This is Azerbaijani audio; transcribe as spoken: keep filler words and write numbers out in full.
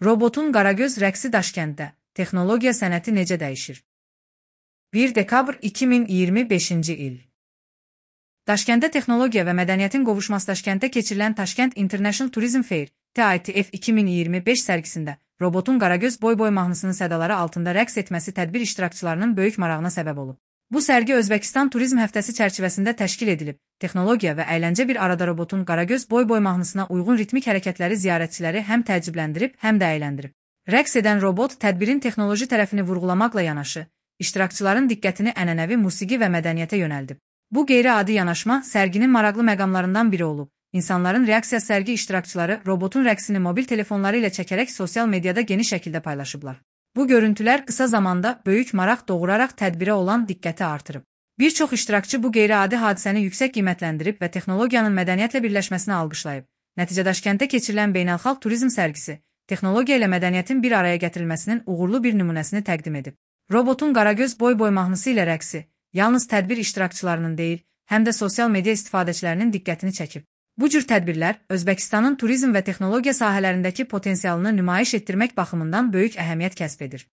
Robotun Qaragöz rəqsi Daşkənddə. Texnologiya sənəti necə dəyişir? bir dekabr iki min iyirmi beşinci il. Daşkənddə texnologiya və mədəniyyətin qovuşması Daşkənddə keçirilən Tashkent International Tourism Fair T I T F iki min iyirmi beş sərgisində robotun Qaragöz boy-boy mahnısının sədaları altında rəqs etməsi tədbir iştirakçılarının böyük marağına səbəb olub. Bu sərgi Özbəkistan Turizm Həftəsi çərçivəsində təşkil edilib. Texnologiya və əyləncə bir arada robotun Qaragöz boy-boy mahnısına uyğun ritmik hərəkətləri ziyarətçiləri həm təəccübləndirib, həm də əyləndirib. Rəqs edən robot tədbirin texnoloji tərəfini vurğulamaqla yanaşı, iştirakçıların diqqətini ənənəvi musiqi və mədəniyyətə yönəldib. Bu qeyri-adi yanaşma sərginin maraqlı məqamlarından biri olub. İnsanların reaksiyası sərgi iştirakçıları robotun rəqsini mobil telefonları ilə çəkərək sosial mediada geniş şəkildə paylaşıblar. Bu görüntülər qısa zamanda böyük maraq doğuraraq tədbirə olan diqqəti artırıb. Bir çox iştirakçı bu qeyri-adi hadisəni yüksək qiymətləndirib və texnologiyanın mədəniyyətlə birləşməsini alqışlayıb. Nəticədə Daşkənddə keçirilən beynəlxalq turizm sərgisi, texnologiya ilə mədəniyyətin bir araya gətirilməsinin uğurlu bir nümunəsini təqdim edib. Robotun Qaragöz boy-boy mahnısı ilə rəqsi yalnız tədbir iştirakçılarının deyil, həm də sosial media istifadəçilərinin diqqətini çəkib. Bu cür tədbirlər Özbəkistanın turizm və texnologiya sahələrindəki potensialını nümayiş etdirmək baxımından böyük əhəmiyyət kəsb edir.